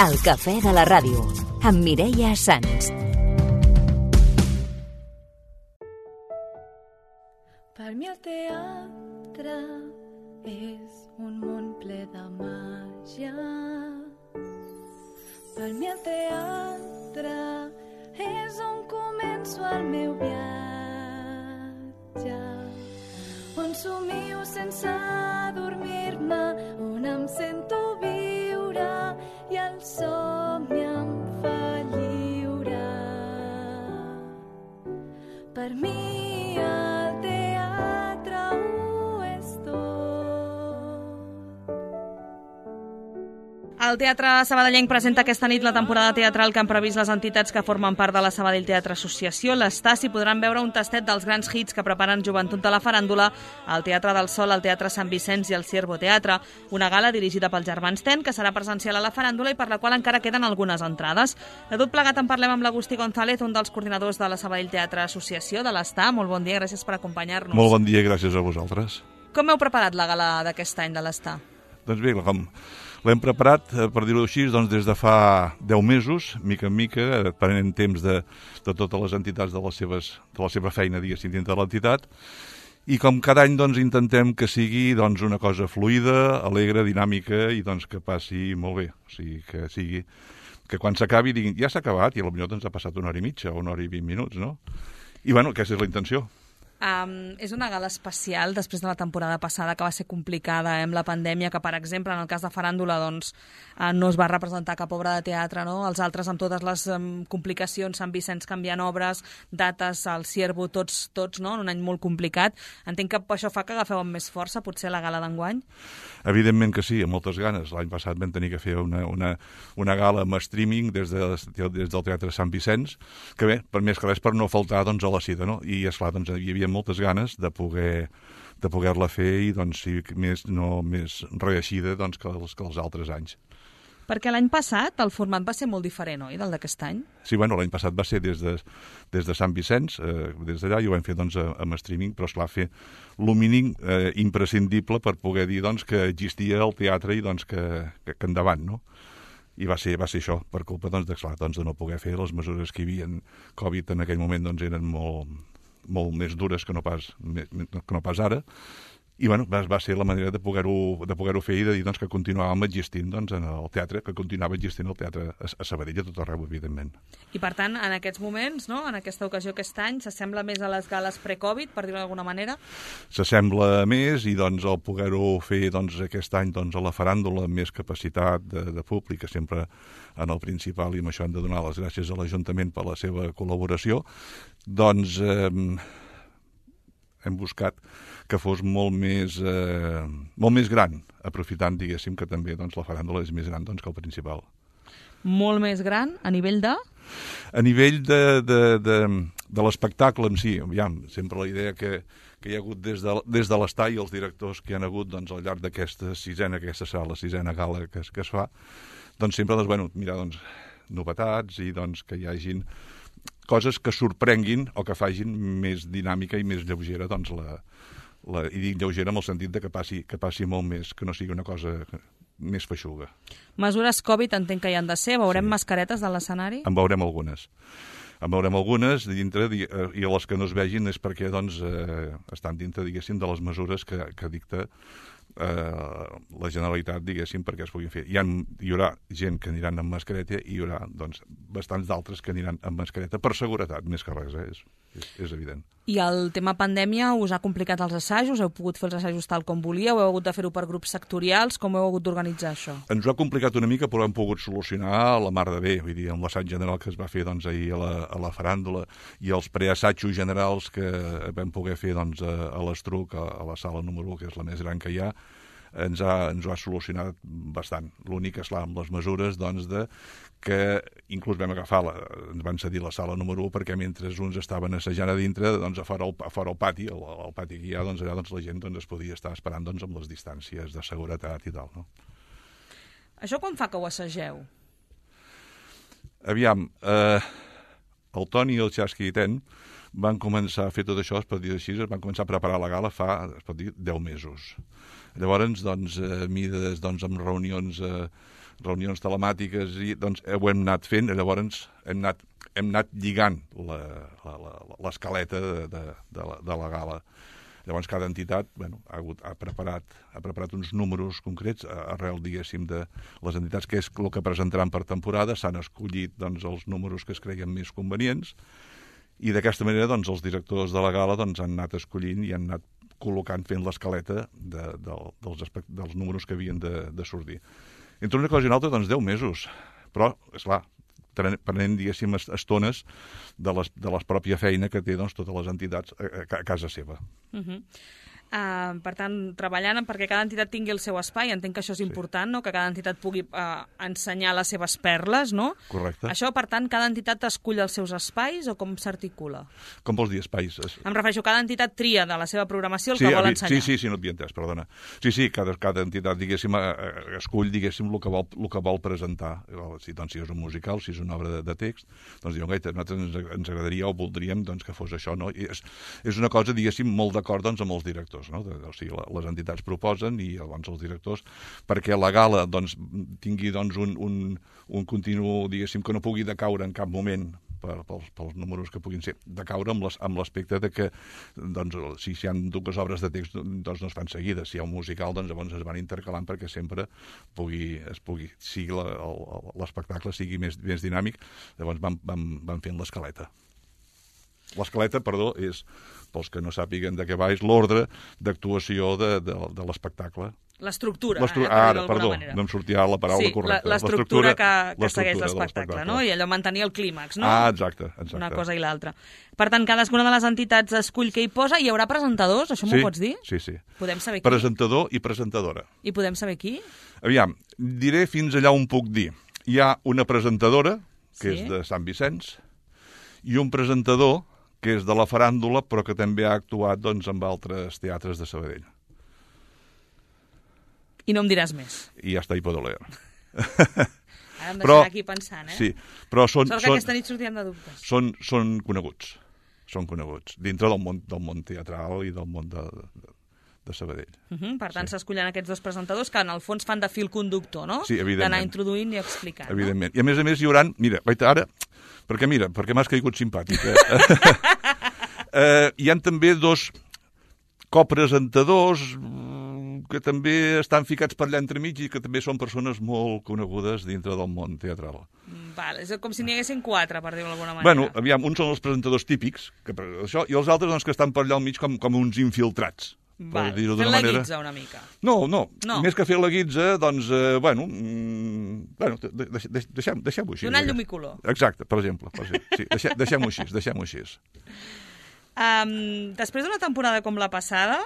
El cafè de la ràdio, amb Mireia Sans. Per mi el teatre és un món ple de màgia. Per mi el teatre és on començo el meu viatge, on somio sense dormir-me, on em sento viure i el somni em fa lliure. Per mi el teatre ho és tot. El Teatre Sabadellenc presenta aquesta nit la temporada teatral que han previst les entitats que formen part de la Sabadell Teatre Associació. L'Estàs hi podran veure un tastet dels grans hits que preparen Joventut de la Faràndula, el Teatre del Sol, el Teatre Sant Vicenç i el Ciervo Teatre. Una gala dirigida pels germans Ten, que serà presencial a la Faràndula i per la qual encara queden algunes entrades. De tot plegat en parlem amb l'Agustí González, un dels coordinadors de la Sabadell Teatre Associació, de l'Està. Molt bon dia, gràcies per acompanyar-nos. Molt bon dia, gràcies a vosaltres. Com heu preparat la gala d'aquest any de l'Està? Doncs bé, com l'hem preparat, per dir-ho així, doncs des de fa 10 mesos, mica en mica, prenent temps de totes les entitats de la seva feina, diguéssim, dintre de l'entitat. I com cada any doncs, intentem que sigui doncs, una cosa fluida, alegre, dinàmica i doncs, que passi molt bé. O sigui, que quan s'acabi diguin, ja s'ha acabat i potser doncs, ha passat una hora i mitja o una hora i 20 minuts, no? I bueno, aquesta és la intenció. És una gala especial després de la temporada passada que va ser complicada amb la pandèmia, que per exemple en el cas de Faràndula doncs, no es va representar cap obra de teatre, no? Els altres amb totes les complicacions, Sant Vicenç canviant obres, dates, el Ciervo, tots no? En un any molt complicat. Entenc que això fa que agafeu amb més força potser la gala d'enguany? Evidentment que sí, amb moltes ganes. L'any passat vam tenir que fer una gala amb streaming des del Teatre Sant Vicenç, que bé, per més que res per no faltar doncs, a la cita, no? I esclar, doncs, hi havia moltes ganes de poder-la fer i doncs, sí, més reeixida doncs, que els altres anys. Perquè l'any passat el format va ser molt diferent, oi, del d'aquest any? Sí, bueno, l'any passat va ser des de Sant Vicenç, des d'allà, i ho vam fer doncs, amb streaming, però esclar, fer el mínim imprescindible per poder dir doncs, que existia el teatre i doncs, que endavant, no? I va ser això, per culpa doncs, de no poder fer les mesures que hi havia. Covid en aquell moment doncs, eren molt més dures que no pas ara, i bueno, va ser la manera de poder-ho fer i de dir doncs, que continuàvem existint doncs, en el teatre, que continuava existint el teatre a Sabadell a tot arreu, evidentment. I per tant, en aquests moments, no? En aquesta ocasió aquest any, s'assembla més a les gales pre-Covid, per dir-ho d'alguna manera? S'assembla més i doncs, el poder-ho fer doncs, aquest any doncs, a la Faràndula amb més capacitat de públic, sempre en el principal, i amb això hem de donar les gràcies a l'Ajuntament per la seva col·laboració, doncs hem buscat que fos molt més gran, aprofitant, diguéssim, que també doncs, la Faràndula és més gran doncs, que el principal. Molt més gran a nivell de? A nivell de l'espectacle en si. Aviam, sempre la idea que hi ha hagut des de l'Està i els directors que hi ha hagut doncs, al llarg d'aquesta serà la sisena gala que es fa, doncs sempre mirar novetats i doncs, que hi hagin coses que sorprenguin o que facin més dinàmica i més lleugera, doncs i dic lleugera en el sentit de que passi molt més, que no sigui una cosa més feixuga. Mesures Covid entenc que hi han de ser. Veurem mascaretes de l'escenari? En veurem algunes. Dintre, i les que no es vegin és perquè doncs, estan dintre, diguéssim, de les mesures que dicta la Generalitat, diguéssim, perquè es puguin fer. Hi haurà gent que aniran amb mascareta i hi haurà doncs, bastants d'altres que aniran amb mascareta per seguretat, més que res, és evident. I el tema pandèmia us ha complicat els assajos? Heu pogut fer els assajos tal com volíeu? Heu hagut de fer-ho per grups sectorials? Com heu hagut d'organitzar això? Ens ho ha complicat una mica, però hem pogut solucionar la mar de bé. Vull dir, amb l'assaig general que es va fer doncs, ahir a la Faràndula i els preassajos generals que vam poder fer doncs, a l'Estruc, a la sala número 1, que és la més gran que hi ha, ens ho ha solucionat bastant. L'únic, esclar, amb les mesures doncs, que inclús vam ens van cedir la sala número 1 perquè mentre uns estaven assajant a dintre, doncs, a fora al pati, al pati que hi ha, doncs, allà doncs, la gent doncs, es podia estar esperant doncs, amb les distàncies de seguretat i tal. No? Això quan fa que ho assageu? Aviam, el Toni i el Xasqui i Ten van començar a fer tot això, es pot dir així, es van començar a preparar la gala fa, es pot dir, 10 mesos. Llavors, doncs, mides, doncs, amb reunions telemàtiques, i doncs ho hem anat fent, llavors hem anat lligant l'escaleta de la gala. Llavors, cada entitat ha preparat uns números concrets arrel, diguéssim, de les entitats, que és el que presentaran per temporada. S'han escollit doncs, els números que es creien més convenients i d'aquesta manera doncs, els directors de la gala doncs, han anat escollint i han anat col·locant, fent l'escaleta dels números que havien de sortir. Entre una cosa i una altra, doncs 10 mesos. Però, esclar, prenent, diguéssim, estones de la pròpia feina que té doncs, totes les entitats a casa seva. Per tant, treballant perquè cada entitat tingui el seu espai, entenc que això és important, no? Que cada entitat pugui ensenyar les seves perles, no? Correcte. Això, per tant, cada entitat escull els seus espais o com s'articula? Com vols dir, espais? Em refereixo, cada entitat tria de la seva programació el que vol ensenyar. Sí, no et havia entès, perdona. Sí, cada entitat, diguéssim, escull, diguéssim, el que vol presentar. Si és un musical, si és una obra de text, doncs diuen, a nosaltres ens agradaria o voldríem doncs, que fos això, no? I és una cosa, diguéssim, molt d'acord doncs, amb els directors. No? O sigui, les entitats proposen i llavors els directors, perquè la gala doncs, tingui doncs, un continu, diguéssim, que no pugui decaure en cap moment pels números que puguin ser, decaure amb l'aspecte de que doncs, si hi ha dues obres de text doncs no es fan seguides, si hi ha un musical doncs llavors es van intercalant perquè sempre sigui l'espectacle sigui més dinàmic, llavors van fent l'escaleta. L'escaleta, perdó, és, pels que no sàpiguen de què va, és l'ordre d'actuació de l'espectacle. L'estructura, perdó, no em sortia la paraula correcta. L'estructura que segueix l'espectacle, no? I allò mantenir el clímax, no? Exacte. Una cosa i l'altra. Per tant, cadascuna de les entitats escull què hi posa. Hi haurà presentadors, això m'ho pots dir? Sí. Podem saber qui? Presentador i presentadora. I podem saber qui? Aviam, diré fins allà on puc dir. Hi ha una presentadora, que és de Sant Vicenç, i un presentador, que és de la faràndula, però que també ha actuat doncs, amb altres teatres de Sabadell. I no em diràs més. I ja està, hi podeu leer. Ara em deixarà aquí pensant, Sí, però sort que aquesta nit sortirem de dubtes. Són coneguts. Són coneguts. Dintre del món teatral i del món de Sabadell. Per tant, s'escollen aquests dos presentadors que en el fons fan de fil conductor, no? Sí, evidentment. D'anar introduint i explicant. Evidentment. I a més hi haurà... Mira, ara... Perquè m'has caigut simpàtic. Hi ha també dos copresentadors que també estan ficats per allà entremig i que també són persones molt conegudes dintre del món teatral. És com si n'hi haguessin 4, per dir-ho d'alguna manera. Bueno, aviam, uns són els presentadors típics, i els altres doncs, que estan per allà al mig com uns infiltrats. Fent la guitza una mica. No, més que fer la guitza, doncs, deixem-ho així. Donar llum i color. Exacte, per exemple. Sí, deixem-ho així. Després d'una temporada com la passada,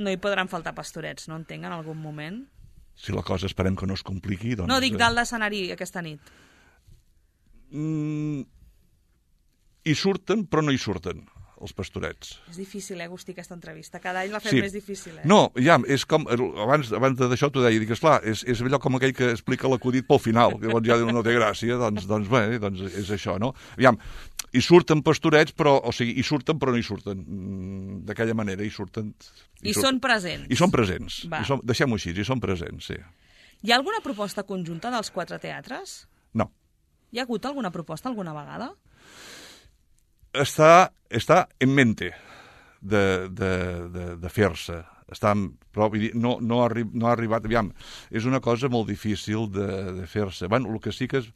no hi podran faltar pastorets, no entenc, en algun moment? Si la cosa esperem que no es compliqui, doncs... No, dic dalt d'escenari aquesta nit. Hi surten, però no hi surten. Els pastorets. És difícil, Agustí, aquesta entrevista. Cada any la fem més difícil, No, ja, és com... Abans d'això t'ho deia, dic, esclar, és allò com aquell que explica l'acudit pel final, que llavors ja no té gràcia, doncs és això, no? Aviam, hi surten pastorets, però, o sigui, hi surten però no hi surten. D'aquella manera, hi surten... Són presents. I són presents. Deixem-ho així, hi són presents, sí. Hi ha alguna proposta conjunta dels 4 teatres? No. Hi ha hagut alguna proposta alguna vegada? Està en mente de fer-se. Però no ha arribat... Aviam, és una cosa molt difícil de fer-se. Bueno, el que sí que és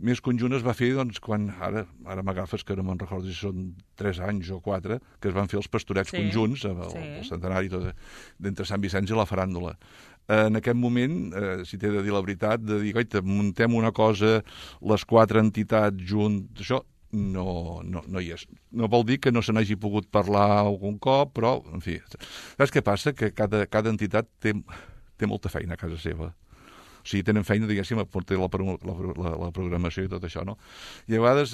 més conjunt es va fer doncs, quan... Ara m'agafes que no me'n recordo si són 3 anys o 4, que es van fer els pastorets conjunts, el centenari d'entre Sant Vicenç i la faràndula. En aquest moment, si t'he de dir la veritat, de dir, muntem una cosa, les 4 entitats junts, això... No hi és. No vol dir que no se n'hagi pogut parlar algun cop, però, en fi... Saps què passa? Que cada entitat té molta feina a casa seva. O sigui, tenen feina, diguéssim, a portar la programació i tot això, no? I a vegades,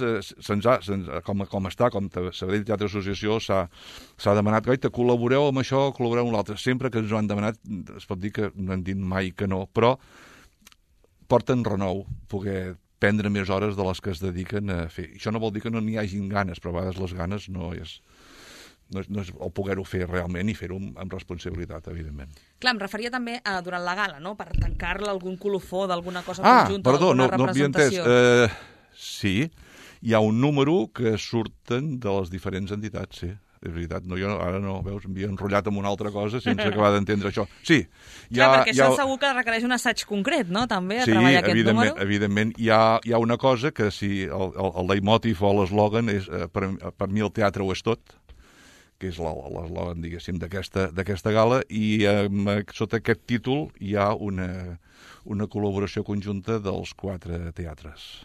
com Sabadell Teatre Associació, s'ha demanat, col·laboreu amb això, col·laboreu amb l'altre. Sempre que ens ho han demanat, es pot dir que no hem dit mai que no, però porten renou poder prendre més hores de les que es dediquen a fer. Això no vol dir que no n'hi hagin ganes, però a vegades les ganes no és el poder-ho fer realment i fer-ho amb responsabilitat, evidentment. Clar, em referia també a durant la gala, no? Per tancar-la algun colofó d'alguna cosa conjunta, perdó, d'alguna no representació. havia entès. Sí, hi ha un número que surten de les diferents entitats, sí. És veritat, no, jo ara no, veus, m'havia enrotllat amb una altra cosa sense acabar d'entendre això. Sí. Clar, perquè això segur que requereix un assaig concret, no?, també, a treballar aquest número. Sí, evidentment. Hi ha una cosa que si el leitmotiv o l'eslògan és, per mi el teatre ho és tot, que és l'eslògan, diguéssim, d'aquesta gala, i sota aquest títol hi ha una col·laboració conjunta dels 4 teatres.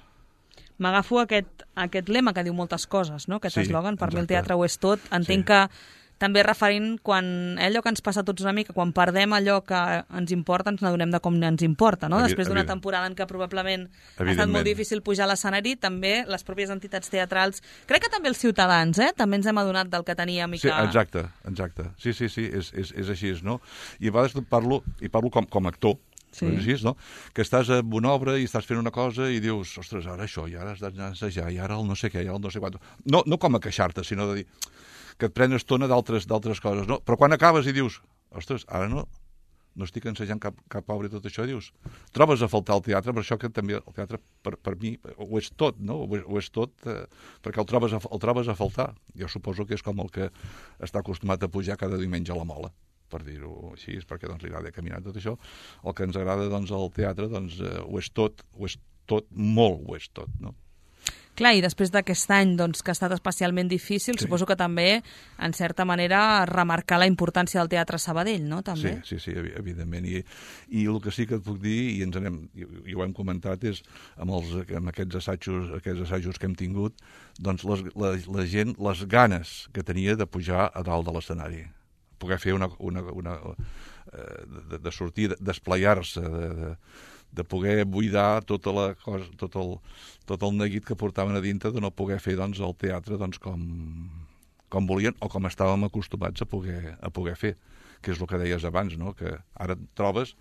M'agafo aquest lema que diu moltes coses, no? Aquest eslògan, per mi el teatre ho és tot. Entenc que també referint quan allò que ens passa a tots una mica, quan perdem allò que ens importa, ens n'adonem de com ens importa, no? Després d'una temporada en què probablement ha estat molt difícil pujar a l'escenari, també les pròpies entitats teatrals, crec que també els ciutadans, també ens hem adonat del que teníem i que... Sí, exacte. Sí, és així, no? I a vegades parlo com a actor, sí. No? Que estàs en una obra i estàs fent una cosa i dius, ostres, ara això, i ara has d'anar a assajar, i ara el no sé què, i ara el no sé quant. No com a queixar-te, sinó de dir que et pren estona d'altres coses, no? Però quan acabes i dius, ostres, ara no estic ensajant cap obra i tot això, dius, trobes a faltar el teatre, per això que també el teatre per mi ho és tot, no? Ho és tot, perquè el trobes a faltar. Jo suposo que és com el que està acostumat a pujar cada diumenge a la Mola, per dir-ho així, perquè doncs, li agrada caminar tot això. El que ens agrada doncs, al teatre doncs, ho és tot, molt ho és tot, no? Clar, i després d'aquest any doncs, que ha estat especialment difícil, suposo que també, en certa manera, remarcar la importància del Teatre Sabadell, no? També. Sí, evidentment. I el que sí que et puc dir, i ho hem comentat, és amb aquests assajos que hem tingut, doncs la gent, les ganes que tenia de pujar a dalt de l'escenari, poder fer de sortir, d'esplayar-se, de poder buidar tot el neguit que portaven a dintre, de no poder fer doncs, el teatre doncs, com volien o com estàvem acostumats a poder fer, que és el que deies abans, no? Que ara trobes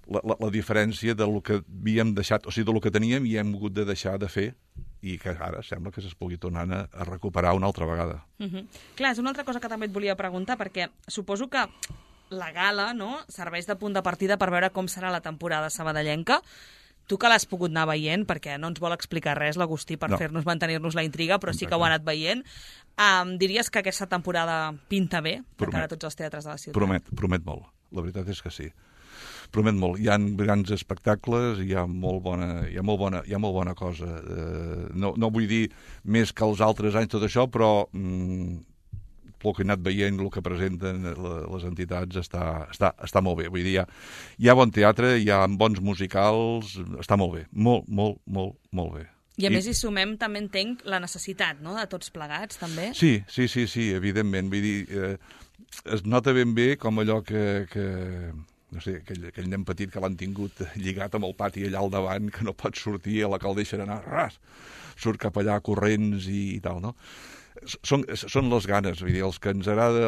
la diferència del que havíem deixat, o sigui, del que teníem i hem hagut de deixar de fer, i que ara sembla que es pugui tornar a recuperar una altra vegada. Clar, és una altra cosa que també et volia preguntar, perquè suposo que la gala, no?, serveix de punt de partida per veure com serà la temporada sabadellenca. Tu que l'has pogut anar veient, perquè no ens vol explicar res l'Agustí per mantenir-nos la intriga, però sí que ho ha anat veient, diries que aquesta temporada pinta bé de cara a tots els teatres de la ciutat? Promet molt. La veritat és que sí. Promet molt. Hi ha grans espectacles, hi ha molt bona cosa. No vull dir més que els altres anys tot això, però el que he anat veient, el que presenten les entitats, està molt bé. Vull dir, hi ha bon teatre, hi ha bons musicals, està molt bé. Molt bé. I a més hi sumem, també entenc, la necessitat, no?, de tots plegats, també? Sí, evidentment. Vull dir, es nota ben bé com allò que no sé, aquell nen petit que l'han tingut lligat amb el pati allà al davant, que no pot sortir, a la que el deixen anar, surt cap allà corrents i tal, no? Són les ganes, vull dir, els que ens agrada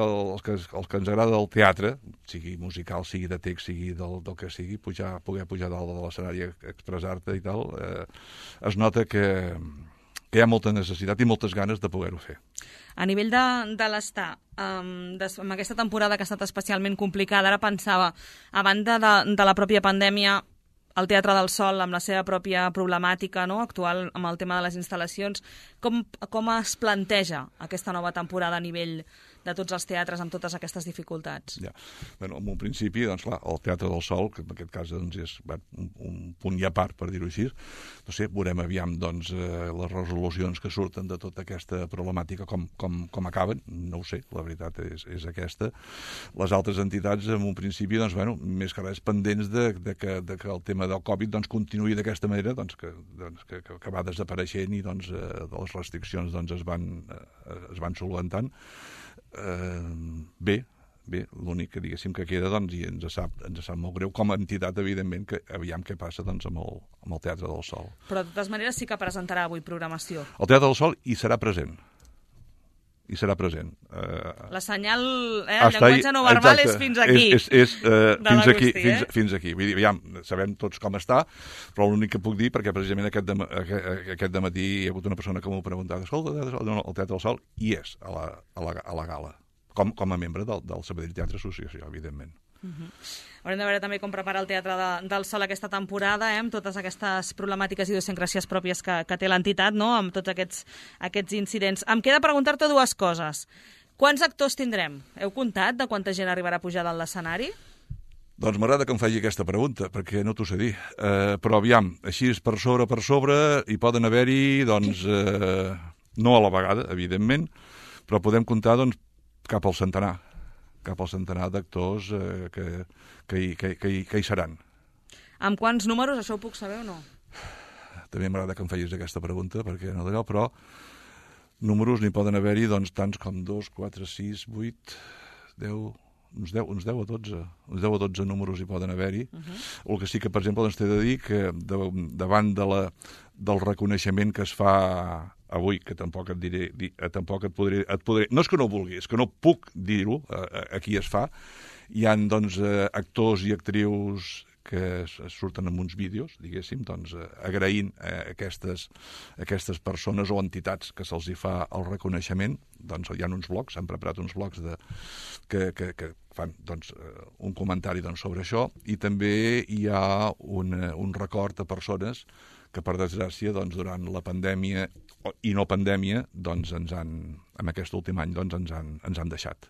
el teatre, sigui musical, sigui de text, sigui del que sigui, poder pujar dalt de l'escenari, expressar-te i tal, es nota que hi ha molta necessitat i moltes ganes de poder-ho fer. A nivell de l'estar, amb aquesta temporada que ha estat especialment complicada, ara pensava, a banda de la pròpia pandèmia, el Teatre del Sol, amb la seva pròpia problemàtica, no?, actual amb el tema de les instal·lacions, com es planteja aquesta nova temporada a nivell de tots els teatres amb totes aquestes dificultats? Ja. Bueno, en un principi, doncs clar, el Teatre del Sol, que en aquest cas doncs, és un punt i a part, per dir-ho així, no sé, veurem aviam doncs, les resolucions que surten de tota aquesta problemàtica com acaben, no ho sé, la veritat és aquesta. Les altres entitats, en un principi, doncs, bueno, més que res pendents de que el tema del Covid doncs, continuï d'aquesta manera, doncs, que va desapareixent i doncs, les restriccions doncs, es van solventant. Bé, l'únic que diguéssim que queda doncs, i ens sap molt greu com a entitat, evidentment, que aviam què passa doncs, amb el Teatre del Sol. Però de totes maneres sí que presentarà avui programació. El Teatre del Sol hi serà present. hi serà present. La senyal, el llenguatge no verbal és fins aquí. És fins aquí. Vull dir, aviam, sabem tots com està, però l'únic que puc dir, perquè precisament aquest dematí hi ha hagut una persona que m'ho ha preguntat, escolta, el Teatre del Sol, hi és a la gala, com a membre del Sabadell Teatre Associació, evidentment. Haurem de veure també com prepara el Teatre del Sol aquesta temporada, amb totes aquestes problemàtiques i idiosincràsies pròpies que té l'entitat, no? Amb tots aquests incidents. Em queda preguntar-te dues coses. Quants actors tindrem? Heu comptat de quanta gent arribarà a pujar dalt l'escenari? Doncs m'agrada que em faci aquesta pregunta, perquè no t'ho sé dir. Però aviam, així per sobre, hi poden haver-hi, doncs, no a la vegada, evidentment, però podem comptar, doncs, cap al centenar d'actors que hi seran. Amb quants números, això ho puc saber o no? També m'agrada que em facis aquesta pregunta, perquè no d'allò, però números n'hi poden haver-hi, doncs, tants com 2, 4, 6, 8, 10... uns 10 o 12. Uns 10 o 12 números hi poden haver-hi. El que sí que, per exemple, doncs, t'he de dir que davant del reconeixement que es fa avui, que tampoc et diré, tampoc et podré... No és que no vulgui, és que no puc dir-ho a qui es fa. Hi ha, doncs, actors i actrius que surten en uns vídeos, diguéssim, doncs, agraint aquestes persones o entitats que se'ls hi fa el reconeixement. Doncs hi ha uns blogs, s'han preparat uns blogs que fan, doncs, un comentari, doncs, sobre això, i també hi ha un record a persones que, per desgràcia, doncs, durant la pandèmia i no pandèmia, doncs, en aquest últim any, doncs, ens han deixat.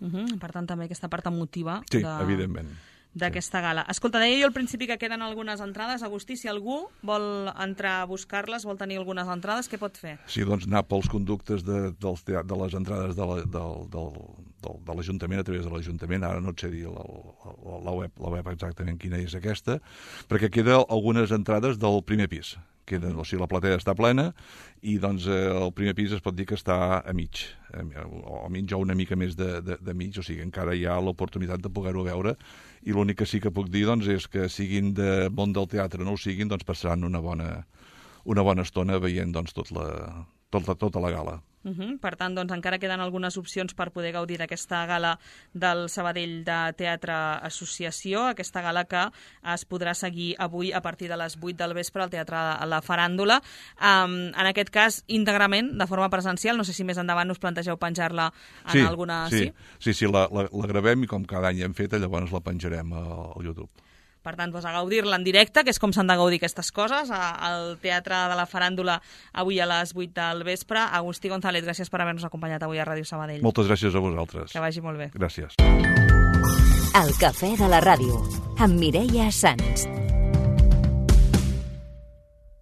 Per tant, també aquesta part emotiva. Sí, evidentment. D'aquesta gala. Escolta, deia jo al principi que queden algunes entrades. Agustí, si algú vol entrar a buscar-les, vol tenir algunes entrades, què pot fer? Sí, doncs anar pels conductes de les entrades de l'Ajuntament, a través de l'Ajuntament. Ara no et sé dir la web exactament quina és aquesta, perquè queden algunes entrades del primer pis. O sigui, la platea està plena i, doncs, el primer pis es pot dir que està a mig, o una mica més de mig, o sigui, encara hi ha l'oportunitat de poder-ho veure, i l'únic que sí que puc dir, doncs, és que siguin de món del teatre o no ho siguin, doncs passaran una bona estona veient, doncs, tota la gala. Per tant, doncs, encara queden algunes opcions per poder gaudir d'aquesta gala del Sabadell de Teatre Associació, aquesta gala que es podrà seguir avui a partir de les 8 del vespre al Teatre La Faràndula. En aquest cas, íntegrament, de forma presencial. No sé si més endavant us plantegeu penjar-la en alguna... Sí, la gravem i com cada any hem fet, llavors la penjarem al YouTube. Per tant, a gaudir-la en directe, que és com s'han de gaudir aquestes coses, al Teatre de la Faràndula avui a les 8 del vespre. Agustí González, gràcies per haver-nos acompanyat avui a Ràdio Sabadell. Moltes gràcies a vosaltres. Que vagi molt bé. Gràcies. El cafè de la ràdio, amb Mireia Sans.